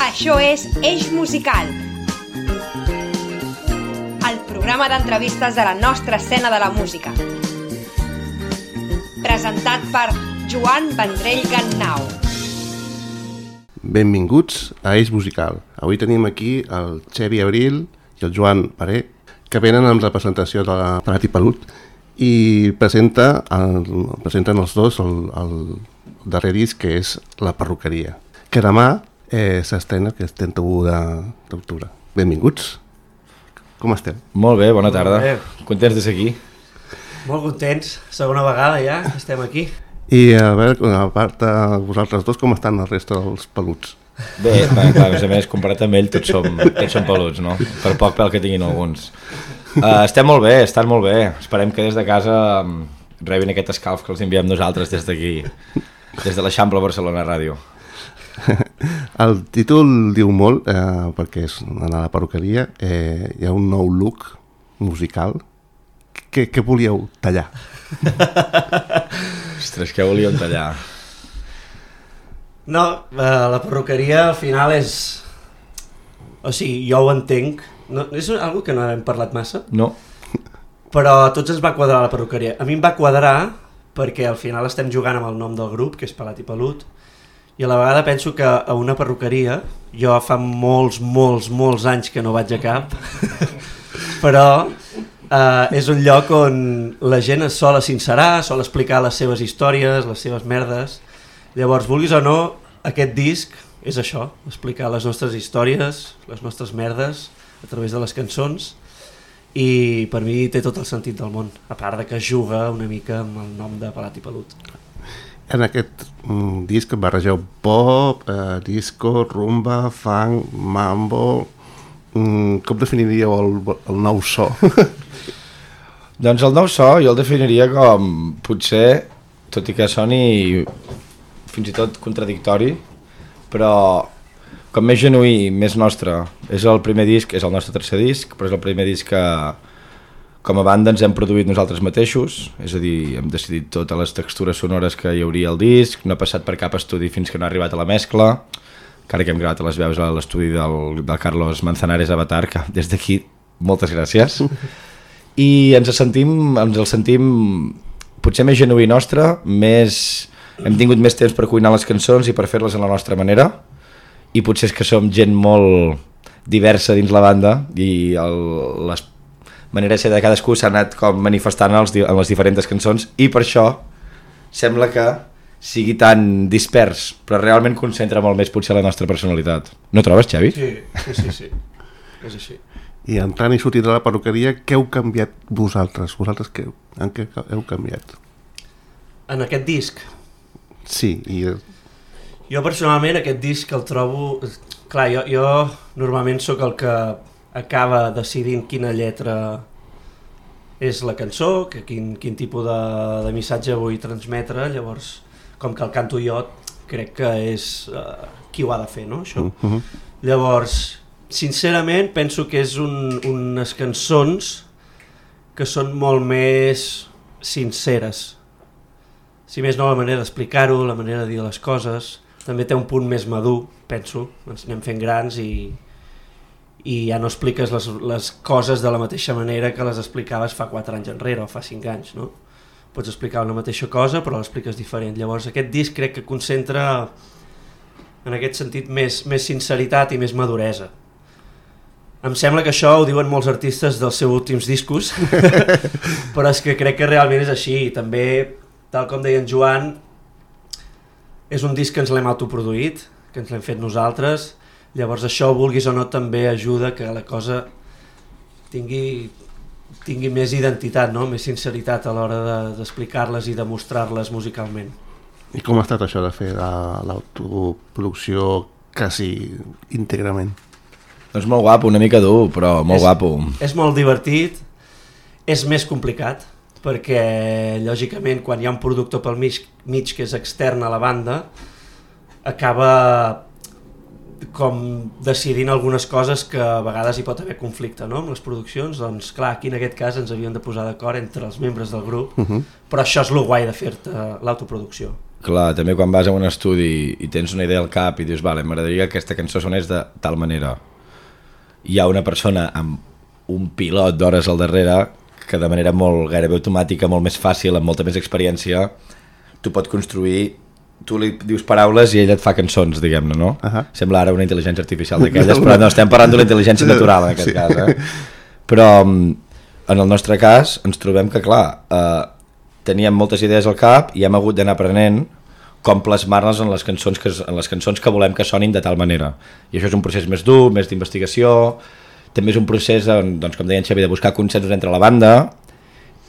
Això és Eix Musical, el programa d'entrevistes de la nostra escena de la música. Presentat per Joan Vendrell Gannau. Benvinguts a Eix Musical. Avui tenim aquí el Xevi Abril i el Joan Paré, que venen amb representació de Pelat i Pelut i presenten els dos el darrer disc, que és La Perruqueria, que demà s'estrena, que és 31 d'octubre. Benvinguts. Com esteu? Molt bé, bona tarda. Contents de ser aquí. Molt contents, segona vegada ja estem aquí. I a veure, a part de vosaltres dos, com estan el resta dels peluts? Bé, clar, a més, comparat amb ell, tots som peluts, no? Per poc pèl que tinguin alguns. Estem molt bé, estan molt bé. Esperem que des de casa rebin aquest escalf que els enviem nosaltres des d'aquí, des de l'Eixample Barcelona Ràdio. El títol diu molt, perquè és a la perruqueria, hi ha un nou look musical. Què volíeu tallar? Ostres, què volíem tallar? No, la perruqueria al final és... O sigui, jo ho entenc. No, és algo que no hem parlat massa. No. Però a tots ens va quadrar la perruqueria. A mi em va quadrar perquè al final estem jugant amb el nom del grup, que és Pelat i Pelut, i a la vegada penso que a una perruqueria, jo fa molts anys que no vaig a cap, però és un lloc on la gent es sol sincerar, sol explicar les seves històries, les seves merdes. Llavors, vulguis o no, aquest disc és això, explicar les nostres històries, les nostres merdes, a través de les cançons, i per mi té tot el sentit del món, a part de que juga una mica amb el nom de Pelat i Pelut. En aquest disc barregeu pop, disco, rumba, funk, mambo... Com definiríeu el nou so? Doncs el nou so jo el definiria com, potser, tot i que soni fins i tot contradictori, però com més genuí, més nostre. És el primer disc, és el nostre tercer disc, però és el primer disc que com a banda ens hem produït nosaltres mateixos, és a dir, hem decidit totes les textures sonores que hi hauria al disc, no ha passat per cap estudi fins que no ha arribat a la mescla, encara que hem gravat les veus a l'estudi del Carlos Manzanares Avatar, que des d'aquí, moltes gràcies. I ens el sentim potser més genuí nostre, hem tingut més temps per cuinar les cançons i per fer-les a la nostra manera, i potser és que som gent molt diversa dins la banda i les manera de ser de cadascú s'ha anat com manifestant en les diferents cançons, i per això sembla que sigui tan dispers, però realment concentra molt més potser la nostra personalitat. No trobes, Xavi? Sí. És així. I entrant i sortint de la perruqueria, què heu canviat vosaltres? Vosaltres en què heu canviat? En aquest disc? Sí, Jo personalment aquest disc el trobo... Clar, jo normalment sóc el que acaba decidint quina lletra és la cançó, quin tipus de missatge vull transmetre, llavors com que el canto jo crec que és qui ho ha de fer, no, això? Llavors, sincerament penso que és unes cançons que són molt més sinceres, si més no la manera d'explicar-ho, la manera de dir les coses, també té un punt més madur, penso, ens anem fent grans i ja no expliques les coses de la mateixa manera que les explicaves fa 4 anys enrere o fa 5 anys, no? Pots explicar una mateixa cosa però l'expliques diferent. Llavors aquest disc crec que concentra en aquest sentit més sinceritat i més maduresa. Em sembla que això ho diuen molts artistes dels seus últims discos, però és que crec que realment és així. També, tal com deia en Joan, és un disc que ens l'hem autoproduït, que ens l'hem fet nosaltres. Llavors això, vulguis o no, també ajuda que la cosa tingui més identitat, no? Més sinceritat a l'hora d'explicar-les i de mostrar-les musicalment. I com ha estat això de fer l'autoproducció quasi íntegrament? Doncs molt guapo, una mica dur, però molt guapo. És molt divertit, és més complicat, perquè lògicament quan hi ha un productor pel mig que és extern a la banda, acaba com decidint algunes coses que a vegades hi pot haver conflicte, no? Amb les produccions, doncs clar, aquí en aquest cas ens havíem de posar d'acord entre els membres del grup, però això és el guai de fer-te l'autoproducció. Clar, també quan vas a un estudi i tens una idea al cap i dius, vale, m'agradaria que aquesta cançó sonés de tal manera. Hi ha una persona amb un pilot d'hores al darrere que de manera molt gairebé automàtica, molt més fàcil, amb molta més experiència, tu pot construir, tu li dius paraules i ella et fa cançons, diguem-ne, no? Sembla ara una intel·ligència artificial d'aquelles, però no, estem parlant d'una intel·ligència natural en aquest cas, Però en el nostre cas ens trobem que, clar, teníem moltes idees al cap i hem hagut d'anar aprenent com plasmar-les en les cançons que volem que sonin de tal manera. I això és un procés més dur, més d'investigació, també és un procés, doncs, com deia en Xavi, de buscar consensos entre la banda,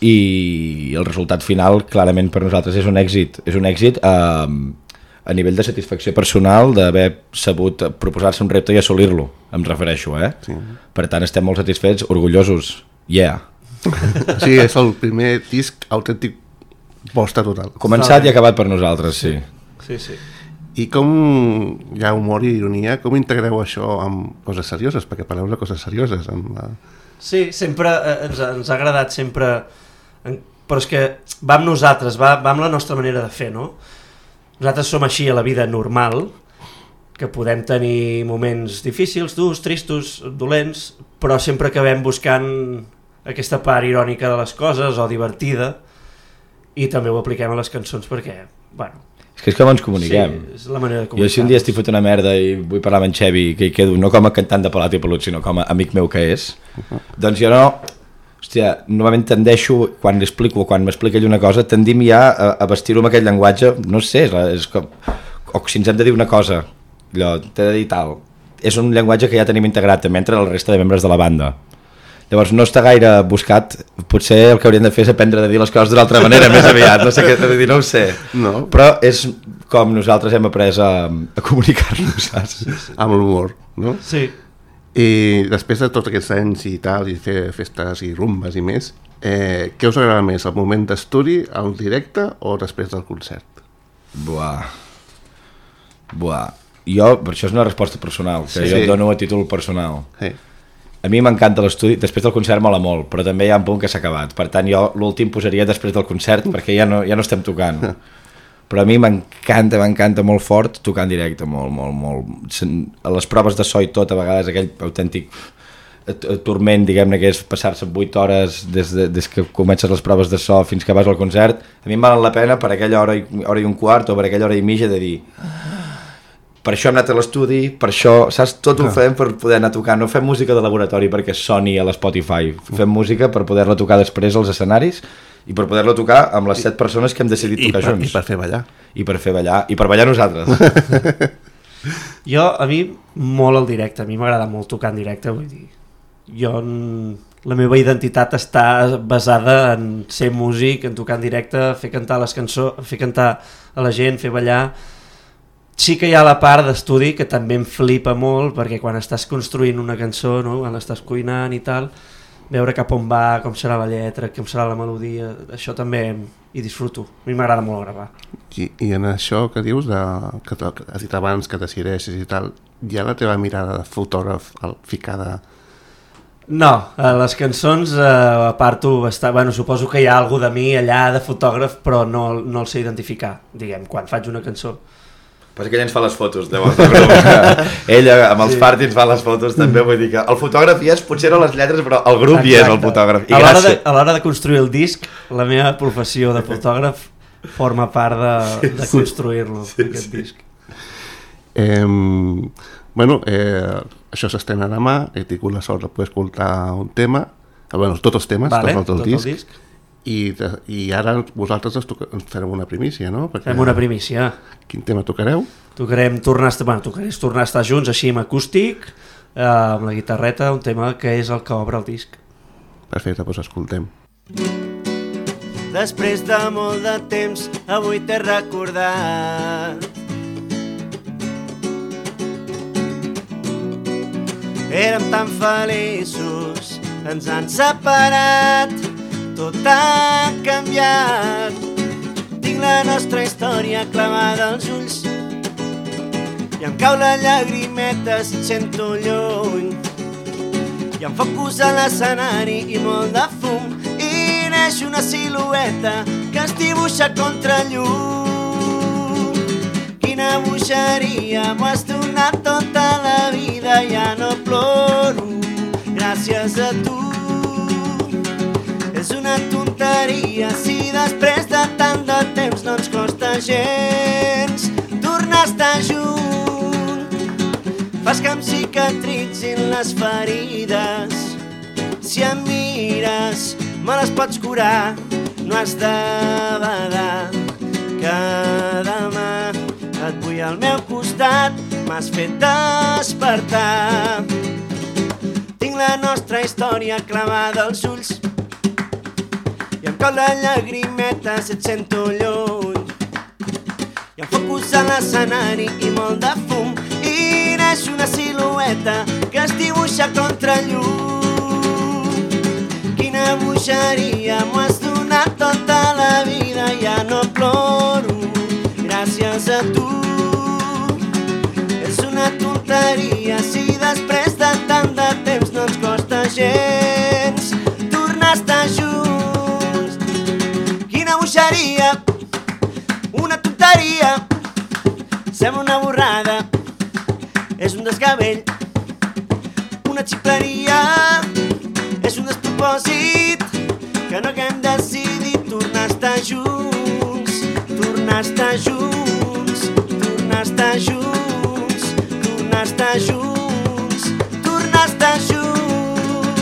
i el resultat final clarament per nosaltres és un èxit a nivell de satisfacció personal d'haver sabut proposar-se un repte i assolir-lo, em refereixo, Sí. Per tant estem molt satisfets, orgullosos, Sí, és el primer disc autèntic vostre total. Començat i acabat per nosaltres, sí. I com hi ha humor i ironia, com integreu això amb coses serioses? Perquè parleu de coses serioses. Sí, sempre ens ha agradat sempre, però és que va amb nosaltres, va amb la nostra manera de fer, no? Nosaltres som així a la vida normal, que podem tenir moments difícils, durs, tristos, dolents, però sempre acabem buscant aquesta part irònica de les coses o divertida, i també ho apliquem a les cançons perquè, bueno... És com ens comuniquem. Sí, és la manera de comunicar. Jo si un dia estic fot una merda i vull parlar amb en Xevi, que hi quedo no com a cantant de Pelat i Pelut, sinó com a amic meu que és, doncs jo no... Hòstia, normalment tendeixo, quan li explico o quan m'explica ell una cosa, tendim ja a vestir-ho amb aquest llenguatge, no sé, és com... O si ens hem de dir una cosa, allò, t'he de dir tal. És un llenguatge que ja tenim integrat també entre la resta de membres de la banda. Llavors no està gaire buscat, potser el que hauríem de fer és aprendre a dir les coses d'una altra manera més aviat, no sé què t'he de dir, no ho sé. No. Però és com nosaltres hem après a comunicar-nos, saps? Amb l'humor, no? Sí. I després de tots aquests anys i tal, i fer festes i rumbes i més, què us agrada més, el moment d'estudi, el directe o després del concert? Buah. Jo, per això és una resposta personal, que jo et dono a títol personal. Sí. A mi m'encanta l'estudi, després del concert mola molt, però també hi ha un punt que s'ha acabat. Per tant, jo l'últim posaria després del concert, perquè ja no estem tocant. Però a mi m'encanta molt fort tocar en directe, molt. A les proves de so i tot, a vegades aquell autèntic turment, diguem-ne, que és passar-se 8 hores des que comences les proves de so fins que vas al concert, a mi em val la pena per aquella hora i un quart o per aquella hora i mitja de dir... Per això hem anat a l'estudi, per això, saps, tot ho fem per poder anar a tocar. No fem música de laboratori perquè soni a l'Spotify, fem música per poder-la tocar després als escenaris i per poder-la tocar amb les 7 persones que hem decidit tocar junts. I per fer ballar. I per fer ballar, i per ballar nosaltres. A mi molt el directe, a mi m'agrada molt tocar en directe, vull dir, la meva identitat està basada en ser músic, en tocar en directe, fer cantar les cançons, fer cantar a la gent, fer ballar. Sí que hi ha la part d'estudi que també em flipa molt, perquè quan estàs construint una cançó, no? Quan l'estàs cuinant i tal, veure cap on va, com serà la lletra, com serà la melodia, això també hi disfruto. A mi m'agrada molt gravar. I en això que dius, que has dit abans que decideixes i tal, hi ha la teva mirada de fotògraf ficada? No, a les cançons aparto bastant... Bueno, suposo que hi ha alguna de mi allà de fotògraf, però no el sé identificar, diguem, quan faig una cançó. Però que ell ens fa les fotos, llavors. Ella amb els party ens fa les fotos també, vull dir que el fotògraf hi és, potser no les lletres, però el grup hi és el fotògraf. I a l'hora de construir el disc, la meva professió de fotògraf forma part de construir-lo, aquest disc. Això s'estrena demà, he tingut la sort de poder escoltar un tema, tots els temes, tot el disc. I ara vosaltres ens farem una primícia, no? Fem una primícia. Quin tema tocareu? Tornaré a estar junts així amb acústic, amb la guitarreta, un tema que és el que obre el disc. Perfecte, doncs escoltem. Després de molt de temps, avui t'he recordat. Érem tan feliços, ens han separat. Tot ha canviat. Tinc la nostra història clavada als ulls i em cau la llagrimeta si et sento lluny. Hi ha focus a l'escenari i molt de fum i neix una silueta que es dibuixa contra llum. Quina bogeria, m'ho has donat tota la vida, ja no ploro gràcies a tu. És una tonteria si després de tant de temps no ens costa gens tornar a estar junts. Fas que em cicatritzin les ferides, si em mires me les pots curar. No has de badar que demà et vull al meu costat, m'has fet despertar. Tinc la nostra història clavada als ulls i em cau la llagrimeta si et sento lluny. Hi ha focus a l'escenari i molt de fum i neix una silueta que es dibuixa contra llum. Quina bogeria, m'ho has donat tota la vida, ja no ploro gràcies a tu. És una tonteria si després de tant de temps no ens costa gens tornar a estar junts. Quina bogeria, una tonteria, sembla una borrada, és un desgavell, una ximpleria, és un despropòsit, que no haguem decidit tornar a estar junts, tornar a estar junts, tornar a estar junts, tornar a estar junts, tornar a estar junts.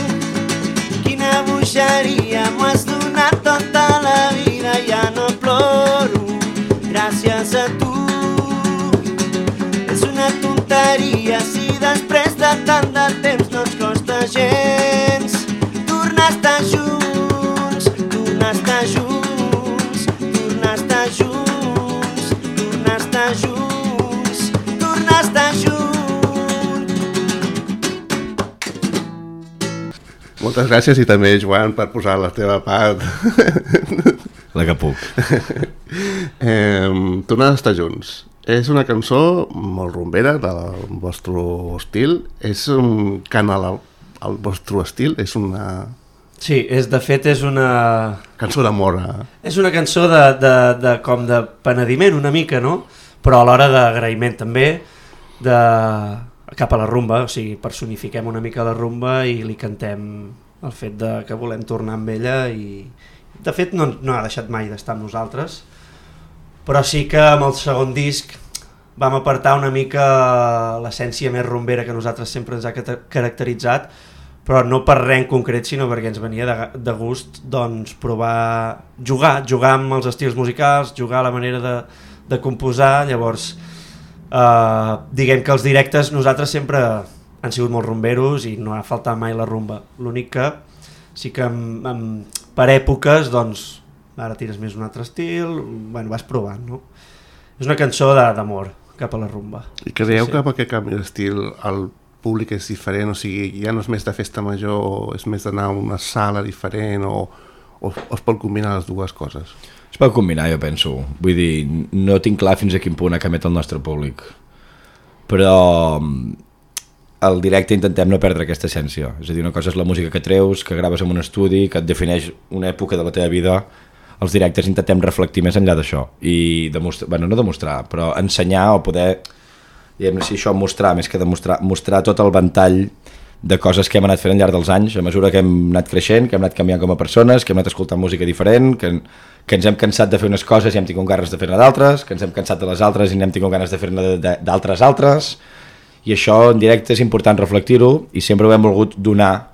Quina bogeria, m'ho has donat tota la vida, ja no ploro gràcies a tu. És una tonteria si després de tant de temps no ens costa gens tornar a estar junts, tornar a estar junts, tornar a estar junts, tornar a estar junts, tornar a estar junts. Moltes gràcies i també, Joan, per posar la teva part. La que puc. Tornar a estar junts. És una cançó molt rumbera del vostre estil. És un cant al vostre estil. És una... Sí, de fet és una... cançó d'amor. És una cançó com de penediment una mica, no? Però alhora d'agraïment també cap a la rumba, o sigui, personifiquem una mica la rumba i li cantem el fet que volem tornar amb ella i de fet no ha deixat mai d'estar amb nosaltres, però sí que amb el segon disc vam apartar una mica l'essència més rumbera que nosaltres sempre ens ha caracteritzat, però no per res en concret, sinó perquè ens venia de gust doncs, provar, jugar amb els estils musicals, jugar a la manera de composar. Llavors diguem que els directes nosaltres sempre han sigut molt rumberos i no ha faltat mai la rumba. L'únic que sí que per èpoques doncs, ara tires més un altre estil, bueno, vas provant, no? És una cançó d'amor cap a la rumba. I creieu que amb aquest canvi d'estil el públic és diferent, o sigui, ja no és més de festa major, o és més d'anar a una sala diferent, o es pot combinar les dues coses? Es pot combinar, jo penso. Vull dir, no tinc clar fins a quin punt emet el nostre públic, però al directe intentem no perdre aquesta essència. És a dir, una cosa és la música que treus, que graves en un estudi, que et defineix una època de la teva vida. Els directes intentem reflectir més enllà d'això i no demostrar, però ensenyar o poder, diguem-ne, si això mostrar, més que mostrar tot el ventall de coses que hem anat fent al llarg dels anys, a mesura que hem anat creixent, que hem anat canviant com a persones, que hem anat escoltant música diferent, que ens hem cansat de fer unes coses i hem tingut ganes de fer-ne d'altres, que ens hem cansat de les altres i hem tingut ganes de fer-ne d'altres, i això en directe és important reflectir-ho i sempre ho hem volgut donar,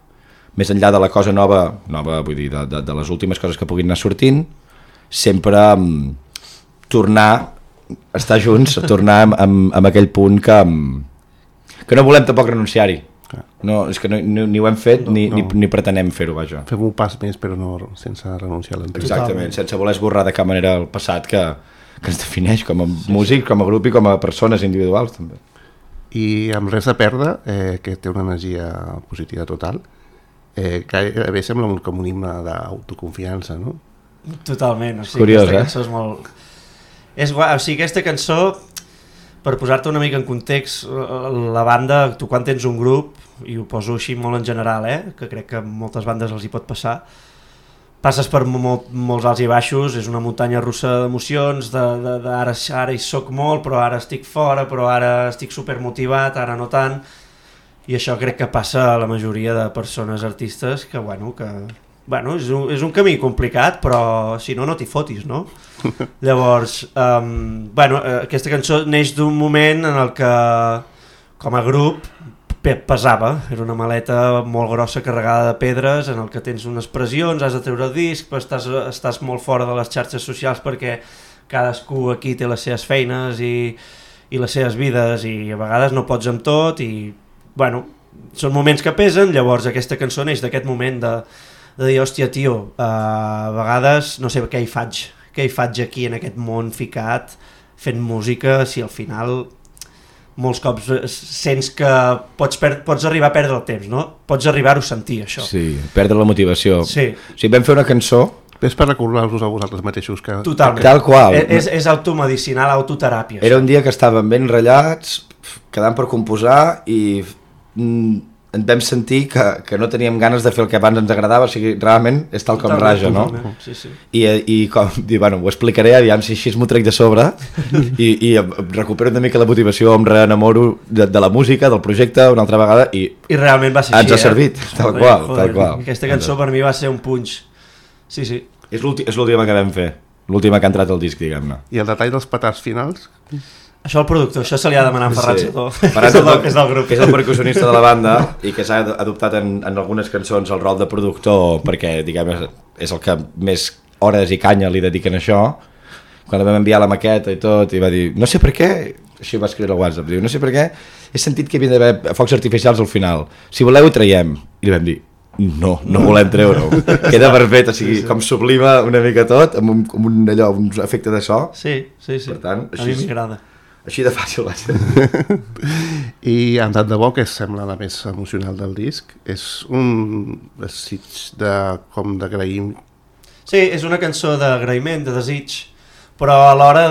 més enllà de la cosa nova vull dir, de les últimes coses que puguin anar sortint, sempre tornar a estar junts, tornar amb aquell punt que no volem tampoc renunciar-hi. No, és que ni ho hem fet ni pretenem fer-ho, vaja. Fem un pas més però no sense renunciar a l'anterior. Exactament, sense voler esborrar de cap manera el passat que ens defineix com a músics, com a grup i com a persones individuals també. I amb Res a perdre, que té una energia positiva total, gairebé sembla com un himne d'autoconfiança, no? Totalment, o sigui, curiós, aquesta cançó és molt... És guai, o sigui, aquesta cançó, per posar-te una mica en context, la banda, tu quan tens un grup, i ho poso així molt en general, que crec que a moltes bandes els hi pot passar, passes per molts alts i baixos, és una muntanya russa d'emocions, ara hi soc molt, però ara estic fora, però ara estic supermotivat, ara no tant, i això crec que passa a la majoria de persones artistes que és un camí complicat, però si no t'hi fotis, no? Llavors, aquesta cançó neix d'un moment en el que, com a grup, pesava. Era una maleta molt grossa carregada de pedres en el que tens unes pressions, has de treure el disc, però estàs molt fora de les xarxes socials perquè cadascú aquí té les seves feines i les seves vides i a vegades no pots amb tot i, són moments que pesen. Llavors aquesta cançó neix d'aquest moment de dir, hòstia, tio, a vegades no sé què hi faig aquí en aquest món ficat fent música, si al final molts cops sents que pots arribar a perdre el temps, no? Pots arribar-ho a sentir, això. Sí, perdre la motivació. Sí. O sigui, vam fer una cançó... És per recordar-vos a vosaltres mateixos que... Totalment. Tal qual. És automedicinal, autoteràpia. Era un dia que estàvem ben ratllats, quedant per composar i ens vam sentir que no teníem ganes de fer el que abans ens agradava, o sigui, realment és tal com raja, no? Sí, sí. I com dir, ho explicaré, aviam si així m'ho trec de sobre i recupero una mica la motivació, em reenamoro de la música, del projecte una altra vegada i realment va ser ens així, ha servit, tal qual. Aquesta cançó per mi va ser un punx. Sí, sí. És l'última que vam fer, l'última que ha entrat al disc, diguem-ne. I el detall dels petards finals? Això al productor, això se li ha demanat a Ferran Setó, és del grup. Que és el percussionista de la banda i que s'ha adoptat en algunes cançons el rol de productor perquè, diguem, és el que més hores i canya li dediquen a això. Quan vam enviar la maqueta i tot, i va dir, no sé per què, així va escriure al WhatsApp, diu, no sé per què, he sentit que havia d'haver focs artificials al final, si voleu ho traiem. I li vam dir, no volem treure-ho, queda perfecte, o sigui, com sublima una mica tot, amb un efecte de so. Sí. Per tant, a mi m'agrada. Així de fàcil va ser. I en tant de bo, que sembla la més emocional del disc, és un desig d'agraïm. Sí, és una cançó d'agraïment, de desig, però a l'hora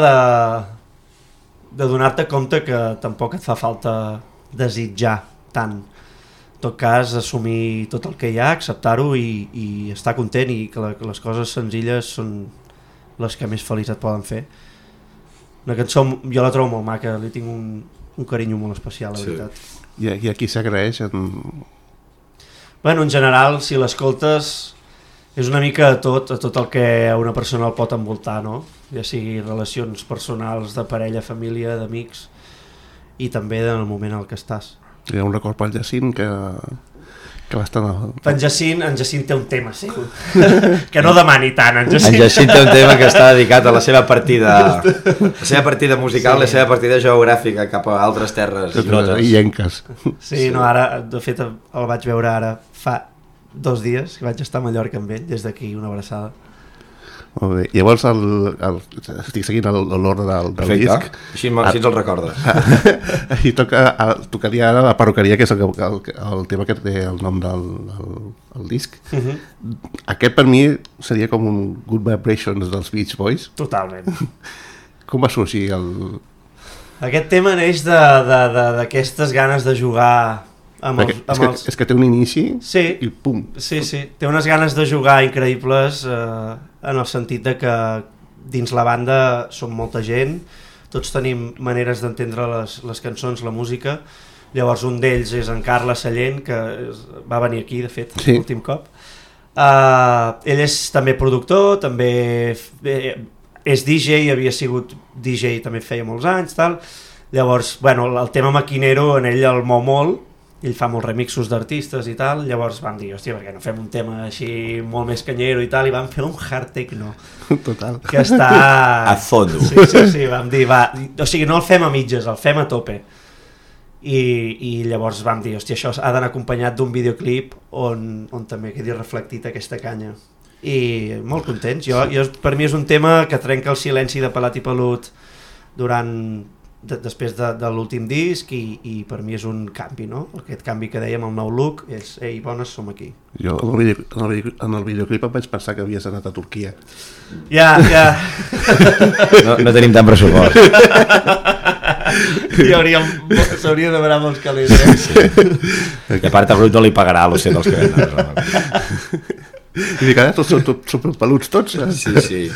de donar-te compte que tampoc et fa falta desitjar tant. En tot cas, assumir tot el que hi ha, acceptar-ho i estar content i que les coses senzilles són les que més feliç et poden fer. Una cançó, jo la trobo molt maca, li tinc un carinyo molt especial, la veritat. I aquí s'agraeix? Bueno, en general, si l'escoltes, és una mica a tot el que a una persona el pot envoltar, no? Ja sigui relacions personals, de parella, família, d'amics, i també en el moment en el que estàs. Hi ha un record pel Jacint que va estar... En Jacint té un tema seu, que no demani tant, en Jacint. En Jacint té un tema que està dedicat a la seva partida musical, sí. La seva partida geogràfica cap a altres terres ignotes. Illenques. Sí, no, ara, de fet, el vaig veure ara fa 2 dies, que vaig estar a Mallorca amb ell, des d'aquí una abraçada. Molt bé. Llavors estic seguint l'ordre del disc. Així ens el recordes. I tocaria ara la perruqueria, que és el tema que té el nom del disc. Aquest per mi seria com un Good Vibrations dels Beach Boys. Totalment. Com va sorgir Aquest tema neix d'aquestes ganes de jugar amb els... És que té un inici i pum. Sí, té unes ganes de jugar increïbles en el sentit de que dins la banda som molta gent, tots tenim maneres d'entendre les cançons, la música. Llavors un d'ells és en Carles Sallent, que va venir aquí, de fet, l'últim cop. Ell és també productor, també és DJ, havia sigut DJ, també feia molts anys, tal. Llavors, el tema maquinero en ell el mou molt, ell fa molts remixos d'artistes i tal, llavors vam dir, hòstia, per què no fem un tema així molt més canyero i tal, i vam fer un hard techno. Total. Que està... A fondo. Sí, vam dir, o sigui, no el fem a mitges, el fem a tope. I llavors vam dir, hòstia, això ha d'anar acompanyat d'un videoclip on també quedi reflectit aquesta canya. I molt contents. Per mi és un tema que trenca el silenci de Pelat i Pelut després de l'últim disc i per mi és un canvi, no? Aquest canvi que dèiem, el nou look, és ei, bones, som aquí. Jo en el videoclip em vaig pensar que havies anat a Turquia. Ja. No tenim tant pressupost. S'hauria de demanar molts calés. I a part a Brut no li pagarà l'ocell dels que venen. I dic, ara tots són superpeluts tots. Sí.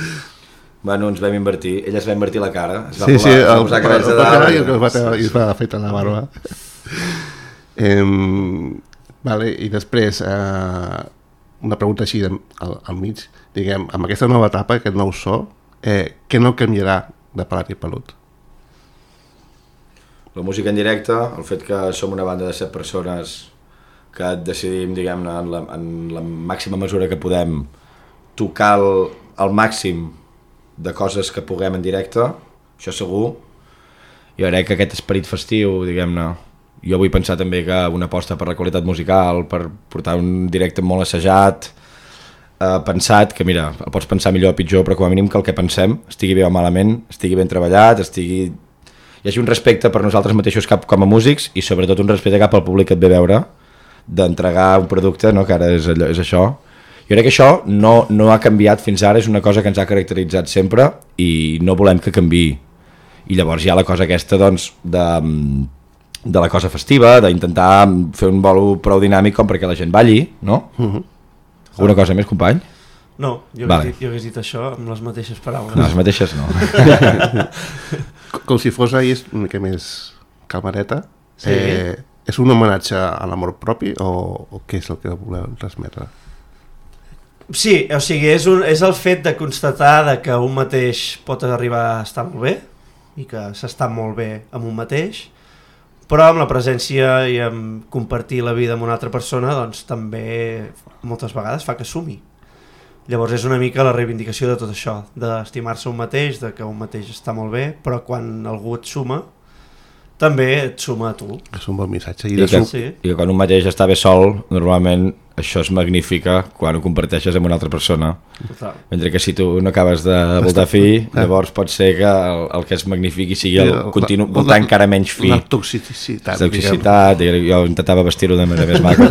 Bueno, ens vam invertir. Ella es va invertir la cara. Es va posar cabells de dalt. I es va afeitar la barba. Vale, i després, una pregunta així al mig. Diguem, amb aquesta nova etapa, aquest nou so, què no canviarà de Pelat i Pelut? La música en directe, el fet que som una banda de 7 persones que decidim, diguem-ne, en la màxima mesura que podem tocar el màxim de coses que puguem en directe, això segur. Jo crec que aquest esperit festiu, diguem-ne, jo vull pensar també que una aposta per la qualitat musical, per portar un directe molt assajat, pensat, que mira, el pots pensar millor o pitjor, però com a mínim que el que pensem estigui bé o malament, estigui ben treballat, hi hagi un respecte per nosaltres mateixos com a músics i sobretot un respecte cap al públic que et ve a veure, d'entregar un producte, no? Que ara és això. Jo crec que això no ha canviat fins ara, és una cosa que ens ha caracteritzat sempre i no volem que canviï. I llavors hi ha la cosa aquesta, doncs, de la cosa festiva, d'intentar fer un bolo prou dinàmic com perquè la gent balli, no? Alguna cosa més, company? No, jo hagués dit això amb les mateixes paraules. No, les mateixes no. Com si fos ahir una mica més calmareta. Sí. És un homenatge a l'amor propi o què és el que voleu transmetre? Sí, o sigui, és el fet de constatar que un mateix pot arribar a estar molt bé i que s'està molt bé amb un mateix, però amb la presència i amb compartir la vida amb una altra persona doncs també moltes vegades fa que sumi. Llavors és una mica la reivindicació de tot això, d'estimar-se un mateix, de que un mateix està molt bé, però quan algú et suma, també et suma a tu. És un bon missatge. I que quan un mateix està bé sol, normalment això es magnifica quan ho comparteixes amb una altra persona. Total. Mentre que si tu no acabes de voltar fi, llavors pot ser que el que es magnifiqui sigui el voltar encara menys fi. La toxicitat. Jo intentava vestir-ho de manera més maca.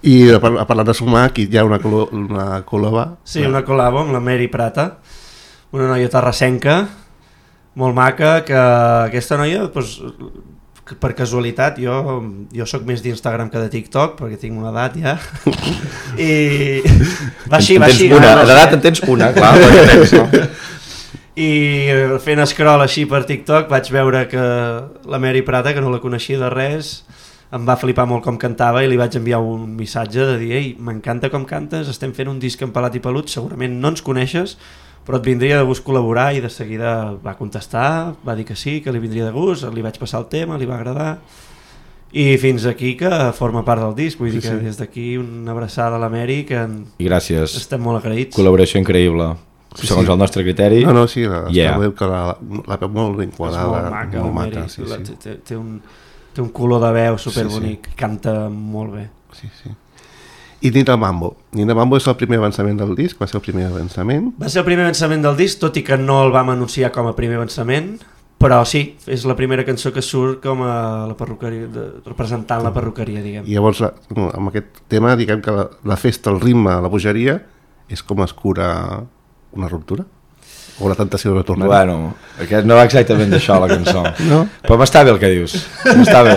I parlant de sumar, aquí hi ha una col·laba. Sí, una col·labo amb la Mary Prata, una noia terrassenca, molt maca, que aquesta noia, doncs, per casualitat, jo soc més d'Instagram que de TikTok, perquè tinc una edat ja, i va així. L'edat en tens una, clar, i fent scroll així per TikTok vaig veure que la Mary Prata, que no la coneixia de res, em va flipar molt com cantava i li vaig enviar un missatge de dir: ei, m'encanta com cantes, estem fent un disc en Pelat i Pelut, segurament no ens coneixes, però et vindria de gust col·laborar, i de seguida va contestar, va dir que sí, que li vindria de gust, li vaig passar el tema, li va agradar, i fins aquí que forma part del disc, vull dir que des d'aquí una abraçada a la Mary, que gràcies. Estem molt agraïts. Col·laboració increïble, segons el nostre criteri. No, sí, la veu molt ben quadrada, molt maca, té un color de veu superbonic, canta molt bé. Sí. I Nina Mambo. Nina Mambo és el primer avançament del disc? Va ser el primer avançament? Va ser el primer avançament del disc, tot i que no el vam anunciar com a primer avançament, però sí, és la primera cançó que surt com a la perruqueria, representant la perruqueria, diguem. I llavors, amb aquest tema, diguem que la festa, el ritme, la bogeria, és com es cura una ruptura? O la tentació de tornar? Bueno, aquest no va exactament d'això, la cançó. No? Però m'està bé el que dius. M'està bé.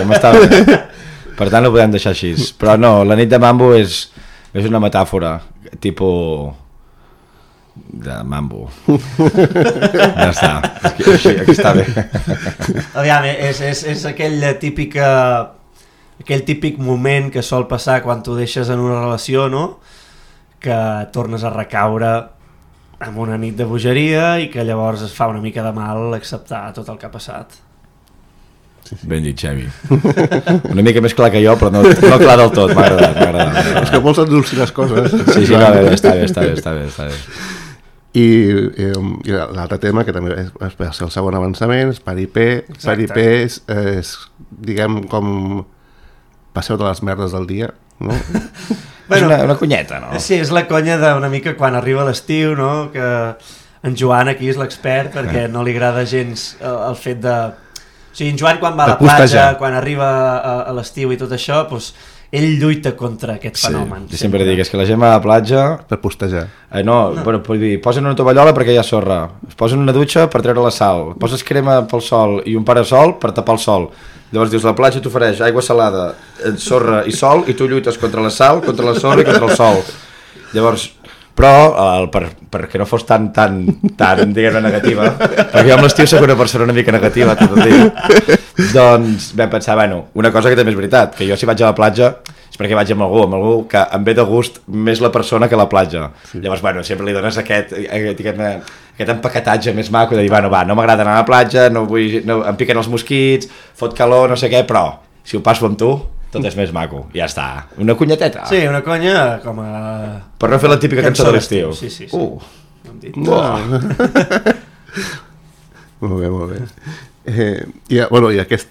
Per tant, ho podem deixar així. Però no, la nit de Mambo és una metàfora, tipus de Mambo. Ja està. Aquí està bé. Aviam, és aquell típic moment que sol passar quan tu deixes en una relació, no? Que tornes a recaure amb una nit de bogeria i que llavors es fa una mica de mal acceptar tot el que ha passat. Ben dit, Xavi. Una mica més clar que jo, però no clar del tot. M'ha agradat. És que vols endolcir les coses. Sí, està bé. I l'altre tema, que també va ser el segon avançament, és Paripé. Paripé és, diguem, com passeu de les merdes del dia, no? Bueno, és una conyeta, no? Sí, és la conya d'una mica quan arriba l'estiu, no? Que en Joan aquí és l'expert, perquè no li agrada gens el fet de... O sigui, en Joan quan va a la platja, quan arriba a l'estiu i tot això, doncs, ell lluita contra aquest fenomen. Jo sempre dic, és que la gent va a la platja... Per postejar. Bueno, vull dir, posen una tovallola perquè hi ha sorra, es posen una dutxa per treure la sal, poses crema pel sol i un parasol per tapar el sol. Llavors dius, la platja t'ofereix aigua salada, sorra i sol, i tu lluites contra la sal, contra la sorra i contra el sol. Llavors, però perquè no fos tan diguem-ne, negativa, perquè jo amb l'estiu soc una persona una mica negativa tot el dia, doncs vam pensar, bueno, una cosa que també és veritat, que jo si vaig a la platja és perquè vaig amb algú que em ve de gust més la persona que la platja. Sí. Llavors, bueno, sempre li dones aquest empaquetatge més maco de dir, bueno, va, no m'agrada anar a la platja, no, em piquen els mosquits, fot calor, no sé què, però si ho passo amb tu, tot és més maco, ja està. Una cunyeteta. Sí, una conya com a... Per no fer la típica cançó de l'estiu. Sí. Molt bé. I aquests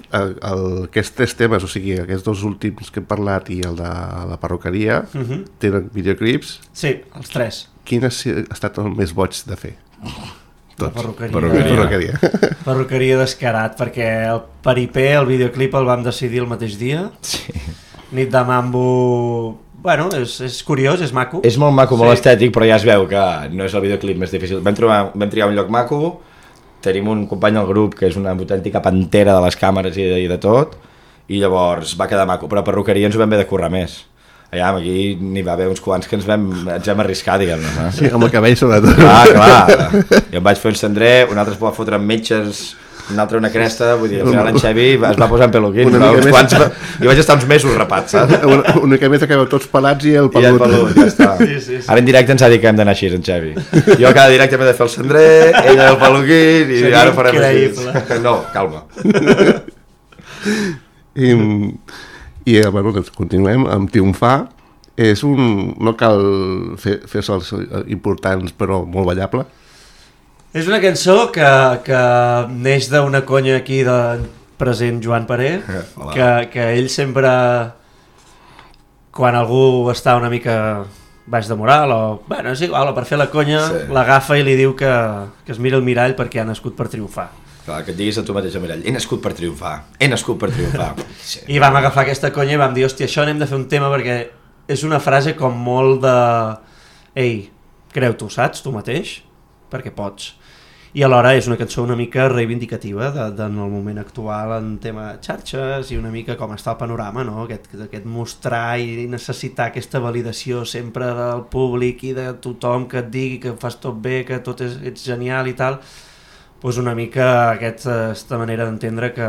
3 temes, o sigui, aquests 2 últims que hem parlat i el de la perruqueria, tenen videoclips. Sí, els 3. Quin ha estat el més boig de fer? La perruqueria. Perruqueria descarat, perquè el Peripé, el videoclip el vam decidir el mateix dia. Sí. Nit de Mambo... Bueno, és curiós, és maco. És molt maco, molt estètic, però ja es veu que no és el videoclip més difícil. Vam triar un lloc maco, tenim un company al grup que és una autèntica pantera de les càmeres i de tot, i llavors va quedar maco, però perruqueria ens ho vam haver de currar més. Aquí n'hi va haver uns quants que ens vam arriscar, diguem-ne. Sí, amb el cabell sobretot. Clar. Jo em vaig fer un cendrer, un altre es va fotre amb metges, un altre una cresta, vull dir, al final en Xavi es va posar en peluquín, i vaig estar uns mesos rapat, saps? Una mica més acabeu tots pelats i el pelut. I el pelut, ja està. Sí. Ara en directe ens ha dit que hem d'anar així, en Xavi. Jo cada directe m'he de fer el cendrer, ella el peluquín, i ara ho farem així. No, calma. Bueno, doncs continuem amb Triomfar. No cal fer-se els importants, però molt ballable. És una cançó que neix d'una conya aquí de present Joan Paré, que ell sempre, quan algú està una mica baix de moral, bueno, és igual, per fer la conya, l'agafa i li diu que es mira al mirall perquè ha nascut per triomfar. Clar, que et diguis a tu mateix al mirall, he nascut per triomfar. Sí. I vam agafar aquesta conya i vam dir, hòstia, això anem de fer un tema perquè és una frase com molt de... Ei, creu-t'ho, saps, tu mateix? Perquè pots. I alhora és una cançó una mica reivindicativa en el moment actual en tema xarxes i una mica com està el panorama, no? Aquest mostrar i necessitar aquesta validació sempre del públic i de tothom que et digui que fas tot bé, que tot ets genial i tal. Doncs una mica aquesta manera d'entendre que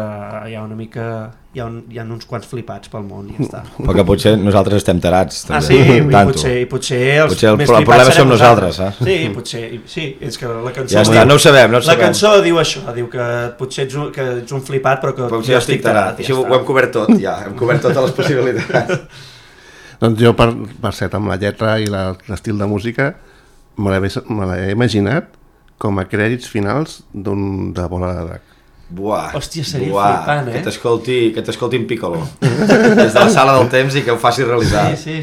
hi ha una mica hi ha uns quants flipats pel món i ja està. Però que potser nosaltres estem tarats també. Sí, potser els més flipats el problema som nosaltres, eh? Sí, potser, sí, és que la cançó ja està, no ho sabem. La cançó diu això, diu que potser ets un flipat però que jo estic tarat. Així ho hem cobert tot, ja, hem cobert totes les possibilitats. Doncs jo per cert amb la lletra i l'estil de música me l'he imaginat com a crèdits finals de Bola de Drac. Buah. Hòstia, seria flipant, que t'escolti en Piccolo. Des de la sala del temps i que ho faci realitzar. Sí.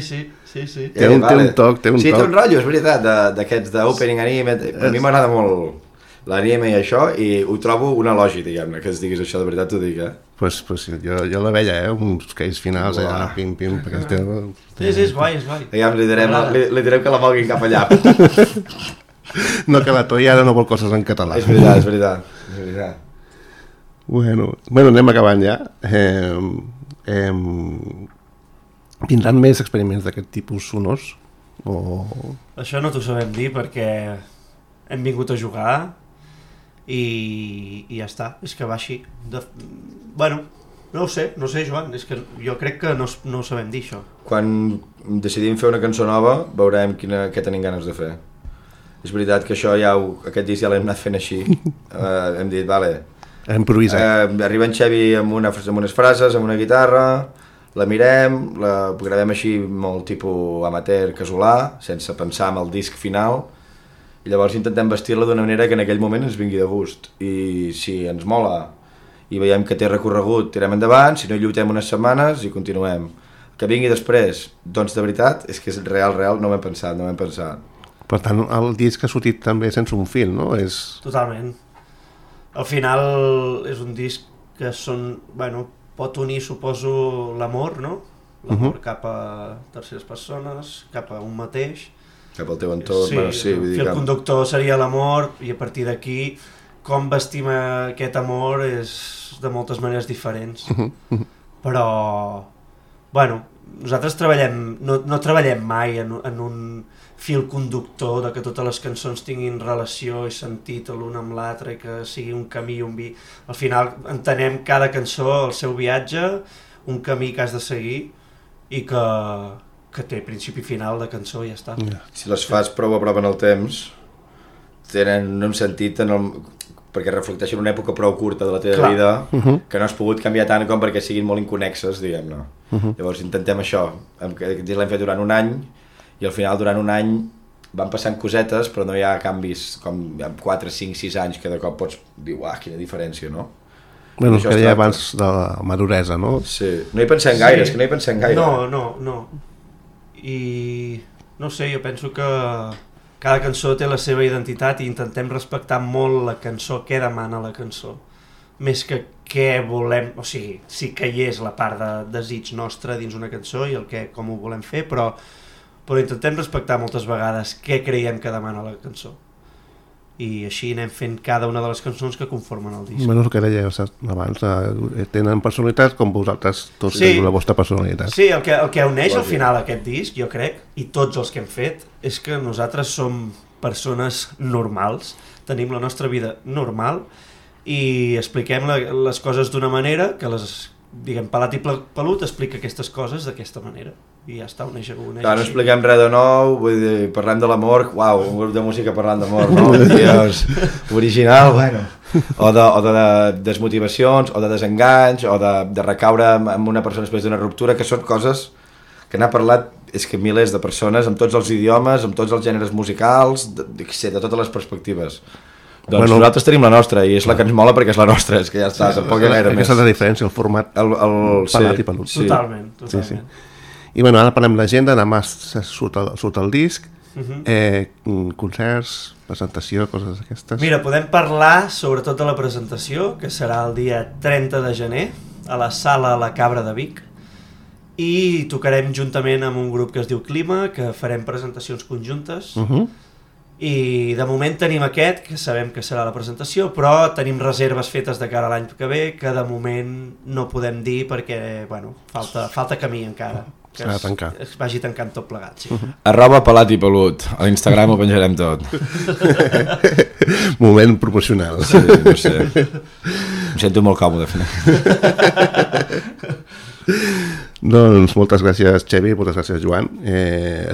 Té un toc. Sí, té un rotllo, és veritat, d'aquests d'opening anime. A mi m'agrada molt l'anime i això, i ho trobo un elogi, diguem-ne, que es diguis això, de veritat t'ho dic, eh? Pues jo la veia, uns crèdits finals, allà, pim, perquè... Sí, és guai. Diguem, li direm que la moguin cap allà. No, que la Toia ara no vol coses en català. És veritat. Bueno, anem acabant ja. Vindran més experiments d'aquest tipus sonors? Això no t'ho sabem dir perquè hem vingut a jugar i ja està, és que va així. Bueno, no ho sé, Joan, és que jo crec que no ho sabem dir, això. Quan decidim fer una cançó nova, veurem què tenim ganes de fer. És veritat que això aquest disc ja l'hem anat fent així. Hem dit, vale... Hem improvisat. Arriba en Xavi amb unes frases, amb una guitarra, la mirem, la gravem així molt tipus amateur, casolà, sense pensar en el disc final, i llavors intentem vestir-la d'una manera que en aquell moment ens vingui de gust. I si ens mola i veiem que té recorregut, tirem endavant, si no lluitem unes setmanes i continuem. Que vingui després, doncs de veritat, és que és real, no m'hem pensat. Per tant, el disc ha sortit també sense un fil, no? Totalment. Al final és un disc que pot unir, suposo, l'amor, no? l'amor cap a terceres persones, cap a un mateix. Cap al teu entorn, Sí, el fil conductor seria l'amor, i a partir d'aquí com vestim aquest amor és de moltes maneres diferents. Però, bueno, nosaltres no treballem mai en un fil conductor de que totes les cançons tinguin relació i sentit l'un amb l'altre i que sigui un camí i un vi. Al final entenem cada cançó, el seu viatge, un camí que has de seguir i que té principi i final de cançó i ja està. Si les fas prou a prop en el temps, tenen un sentit perquè reflecteixen una època prou curta de la teva vida que no has pogut canviar tant com perquè siguin molt inconexes, diguem-ne. Llavors intentem això, que l'hem fet durant un any i al final durant un any van passant cosetes però no hi ha canvis com en 4, 5, 6 anys que de cop pots dir, uah, quina diferència, no? Bueno, que deia abans de la maduresa, no? Sí, no hi pensem gaire, és que no hi pensem gaire. No. I no sé, jo penso que cada cançó té la seva identitat i intentem respectar molt la cançó, què demana la cançó, més que què volem, o sigui, sí que hi és la part de desig nostre dins una cançó i com ho volem fer, però intentem respectar moltes vegades què creiem que demana la cançó. I així anem fent cada una de les cançons que conformen el disc. Bueno, el que dèieu abans, tenen personalitat com vosaltres, tots teniu la vostra personalitat. Sí, el que uneix al final aquest disc, jo crec, i tots els que hem fet, és que nosaltres som persones normals, tenim la nostra vida normal i expliquem les coses d'una manera que Pelat i Pelut explica aquestes coses d'aquesta manera i ja està, uneix no expliquem res de nou, vull dir, parlem de l'amor, uau, un grup de música parlant d'amor, no? Dios, original, bueno. O de desmotivacions, o de desenganys, o de recaure amb una persona després d'una ruptura, que són coses que n'ha parlat milers de persones, amb tots els idiomes, amb tots els gèneres musicals, de totes les perspectives. Doncs nosaltres tenim la nostra i és la que ens mola perquè és la nostra, és que ja està, tampoc hi ha gaire més. Aquesta és la diferència, el format Pelat i Pelut. Totalment. I bueno, ara parlem l'agenda, demà surt el disc, concerts, presentació, coses d'aquestes. Mira, podem parlar sobretot de la presentació, que serà el dia 30 de gener, a la sala La Cabra de Vic, i tocarem juntament amb un grup que es diu Clima, que farem presentacions conjuntes, i de moment tenim aquest, que sabem que serà la presentació, però tenim reserves fetes de cara a l'any que ve, que de moment no podem dir perquè, bueno, falta camí encara. Que es vagi tancant tot plegat, sí. @Pelat i Pelut, a l'Instagram ho penjarem tot. Moment proporcional. Sí, no sé. Em sento molt còmode fent. Doncs moltes gràcies, Xevi, moltes gràcies, Joan.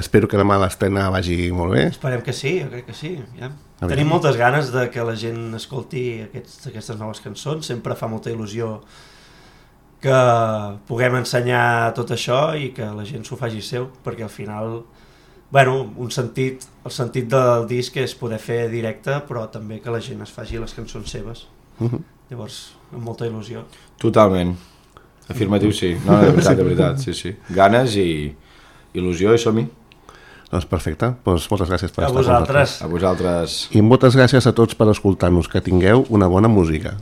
Espero que demà l'estrena vagi molt bé. Esperem que sí, jo crec que sí. Ja. Tenim moltes ganes de que la gent escolti aquestes noves cançons, sempre fa molta il·lusió que puguem ensenyar tot això i que la gent s'ho faci seu, perquè al final, bueno, el sentit del disc és poder fer directe, però també que la gent es faci les cançons seves. Llavors, amb molta il·lusió. Totalment. Afirmatiu, sí. No, de veritat, sí. Ganes i il·lusió i som-hi. Doncs perfecte. Doncs moltes gràcies per estar amb nosaltres. A vosaltres. I moltes gràcies a tots per escoltar-nos. Que tingueu una bona música.